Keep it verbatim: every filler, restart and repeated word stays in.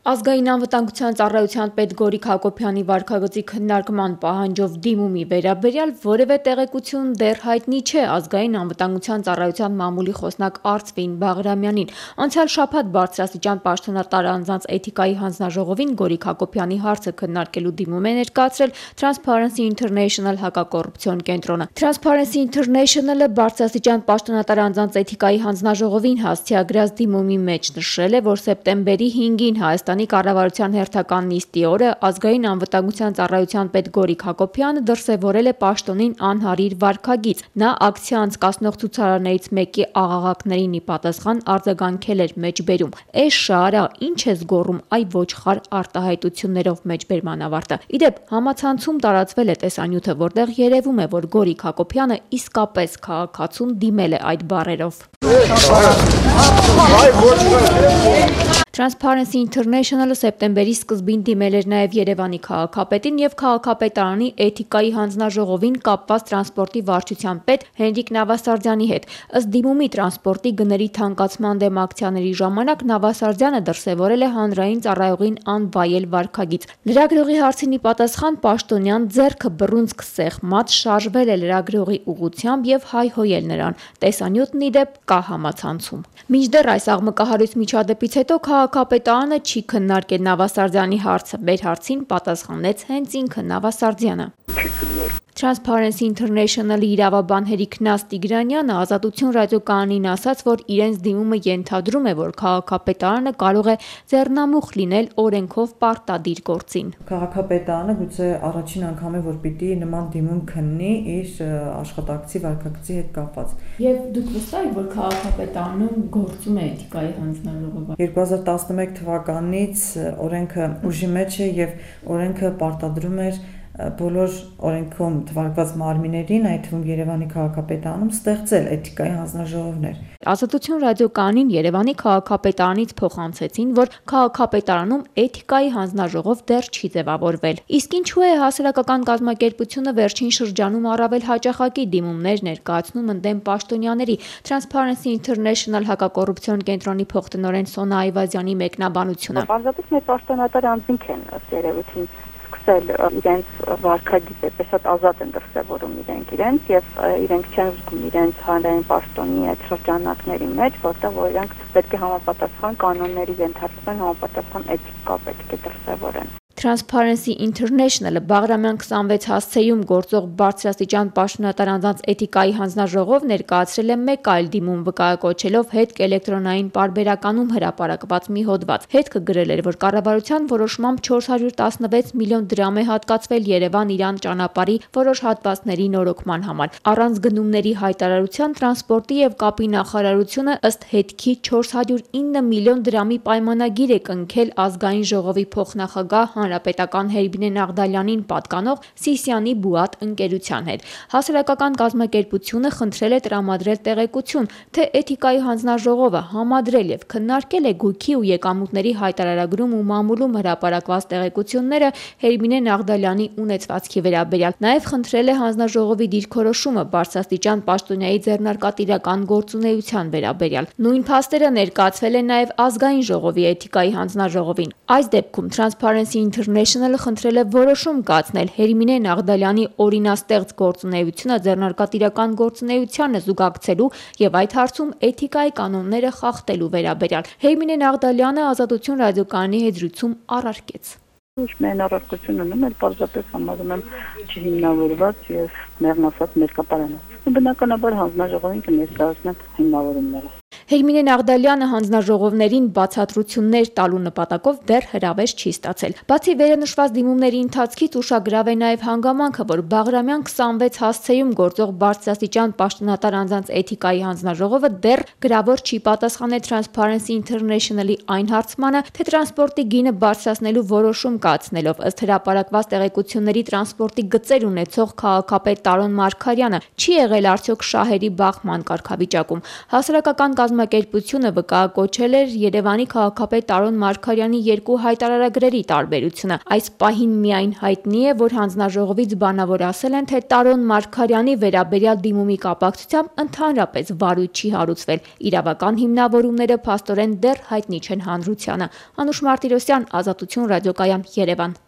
Ազգային անվտանգության ծառայության պետ Գորիկ Հակոբյանի վարքագծի քննարկման պահանջով դիմումի վերաբերյալ որևէ տեղեկություն դեռ հայտնի չէ Ազգային անվտանգության ծառայության մամուլի խոսնակ Արծվին Բաղրամյանին։ Անցյալ շաբաթ բարձրաստիճան պաշտոնատար անձանց էթիկայի հանձնաժողովին Գորիկ Հակոբյանի հարցը քննարկելու դիմում է ներկայացրել Transparency International հակակոռուպցիոն կենտրոնը։ Transparency International-ը բարձրաստիճան պաշտոնատար անձանց էթիկայի հանձնաժողովին հասցեագրած դիմումի մեջ նշել է, որ սեպտեմբերի հինգին Հայաստանի կառավարության հերթական նիստի օրը Ազգային անվտանգության ծառայության պետ Գորիկ Հակոբյանը դրսևորել է պաշտոնին անհարիր վարքագիծ։ Նա ակցիա անցկացնող ցուցարարներից մեկի աղաղակներին ի պատասխան արձագանքել էր մեջբերում. «Էս շարա, ինչ ես գոռում, այ ոչխար» արտահայտություններով մեջբերման ավարտը։ Իդեպ համացանցում տարածվել է տեսանյութը, որտեղ երևում է, որ Գորիկ Հակոբյանը իսկապես քաղաքացուն դիմել է այդ բառերով։ Transparency International-ը սեպտեմբերի սկզբին դիմել էր նաև Երևանի քաղաքապետին եւ քաղաքապետարանի էթիկայի հանձնաժողովին կապված տրանսպորտի վարչության պետ Հենրիկ Նավասարդյանի հետ։ Ըստ դիմումի տրանսպորտի գների թանկացման դեմ ակցիաների ժամանակ Նավասարդյանը դրսևորել է հանրային ծառայողին անվայել վարքագիծ։ Լրագրողի հարցին ի պատասխան պաշտոնյան ձեռքը բռունցք սեղմած շարժվել է լրագրողի ուղղությամբ եւ հայհոյել նրան։ Տեսանյութն իդեպ կա համացանցում։ Մինչդեռ այս աղմկահարույց միջադեպից հետո քաղաքապետարանը չի քննարկել Նավասարդյանի հարցը։ Մեր հարցին պատասխանեց հենց ինքը Նավասարդյանը։ Transparency International-ի իրավաբան Հերիքնաս Տիգրանյանը Ազատություն ռադիոկայանին ասաց, որ իրենց դիմումը ենթադրում է, որ քաղաքապետարանը կարող է ձեռնամուխ լինել օրենքով պարտադիր գործին։ Քաղաքապետարանը գուցե առաջին անգամ է, որ պիտի նման դիմում քննի իր աշխատակցի վարքագծի հետ կապված։ Եվ դուք վստահ եք, որ քաղաքապետարանում գործում է էթիկայի հանձնաժողովը։ երկու հազար տասնմեկ թվականից օրենքը ուժի մեջ է եւ օրենքը պարտադրում էր բոլոր օրենքում թվարկված մարմիններին, այդ թվում Երևանի քաղաքապետարանում ստեղծել էթիկայի հանձնաժողովներ։ Ազատություն ռադիոկայանին Երևանի քաղաքապետարանից փոխանցեցին, որ քաղաքապետարանում էթիկայի հանձնաժողով դեռ չի ձևավորվել։ Իսկ ինչու է հասարակական կազմակերպությունը վերջին շրջանում առավել հաճախակի դիմումներ ներկայացնում ընդդեմ պաշտոնյաների։ Transparency International հակակոռուպցիոն կենտրոնի փոխտնօրեն Սոնա Այվազյանի մեկնաբանությունը։ Բանջատից մեր պաշտոնատար անձինք են ըստ երևույթին սկսել իրենց վարքագիծը պես շատ ազատ են դրսևորում իրենք իրենց եւ իրենք չեն զգում իրենց հանրային պաշտոնի այդ շրջանակների մեջ, որտեղ որ իրենք պետք է համապատասխան կանոնների ենթարկվեն, համապատասխան էթիկա պետք է դրսևորեն։ Transparency International-ը Բաղրամյան քսանվեց հասցեում գործող բարձրաստիճան պաշտոնատար անձանց էթիկայի հանձնաժողով ներկայացրել է մեկ այլ դիմում վկայակոչելով հետք էլեկտրոնային պարբերականում հրապարակված մի հոդված։ Հետքը գրել էր, որ կառավարության որոշմամբ չորս հարյուր տասնվեց միլիոն դրամ է հատկացվել Երևան-Իրան ճանապարհի որոշ հատվածների նորոգման համար։ Առանց գնումների հայտարարության տրանսպորտի եւ կապի նախարարությունը ըստ հետքի չորս հարյուր ինը միլիոն դրամի պայմանագիր է կնքել ազգային ժողովի փոխնախագահ Հանրապետական Հերբինե Նաղդալյանին պատկանող Սիսիանի Բուատ ընկերության հետ։ Հասարակական կազմակերպությունը խնդրել է տրամադրել տեղեկություն, թե էթիկայի հանձնաժողովը համադրել եւ քննարկել է գույքի ու եկամուտների հայտարարագրում ու մամուլում հրապարակված տեղեկությունները Հերբինե Նաղդալյանի ունեցվածքի վերաբերյալ։ Նաեւ խնդրել է հանձնաժողովի դիրքորոշումը բարձրաստիճան պաշտոնյայի ձեռնարկատիրական գործունեության վերաբերյալ։ Նույն փաստերը ներկայացվել են նաեւ ազգային ժողովի էթիկայի հանձնաժողովին։ Այս դեպքում Transparency International-ը խնդրել է որոշում կայացնել Հերմինե Նաղդալյանի օրինաստեղծ գործունեությունը ձեռնարկատիրական գործունեությանը զուգակցելու եւ այդ հարցում էթիկայի կանոնները խախտելու վերաբերյալ։ Հերմինե Նաղդալյանը Ազատություն ռադիոկայանի հետ զրույցում առարկեց. Ինչ մեն առարկություն ունեմ, այլ պարզապես համարում եմ չհիմնավորված եւ մեղմասած մերկապարանած։ Բնականաբար հանձնաժողովին կներկայացնեն հիմնավորումները։ Հերմինե Նաղդալյանը հանձնաժողովներին բացատրություններ տալու նպատակով դեռ հրավեր չի ստացել։ Բացի վերնշված դիմումների ընթացքից ուշագրավ է նաև հանգամանքը, որ Բաղրամյան քսանվեց հասցեում գործող բարձրաստիճան պաշտոնատար անձանց էթիկայի հանձնաժողովը դեռ գրավոր չի պատասխանել Transparency International-ի այն հարցմանը, թե տրանսպորտի գինը բարձրացնելու որոշում կայացնելով ըստ հրապարակված տեղեկությունների տրանսպորտի գծեր ունեցող քաղաքապետ Տարոն Մարգարյանը չի եղել արդյոք շահերի բախման կարգավիճակում։ Հասարակական կազմակերպությունը վկայակոչել էր Երևանի քաղաքապետ Տարոն Մարգարյանի երկու հայտարարագրերի տարբերությունը։ Այս պահին միայն հայտնի է, որ հանձնաժողովից բանավոր ասել են, թե Տարոն Մարգարյանի վերաբերյալ դիմումի կապակցությամբ ընդհանրապես վարույթ չի հարուցվել։ Իրավական հիմնավորումները փաստորեն դեռ հայտնի չեն հանրությանը։ Անուշ Մարտիրոսյան, Ազատություն ռադիոկայան, Երևան։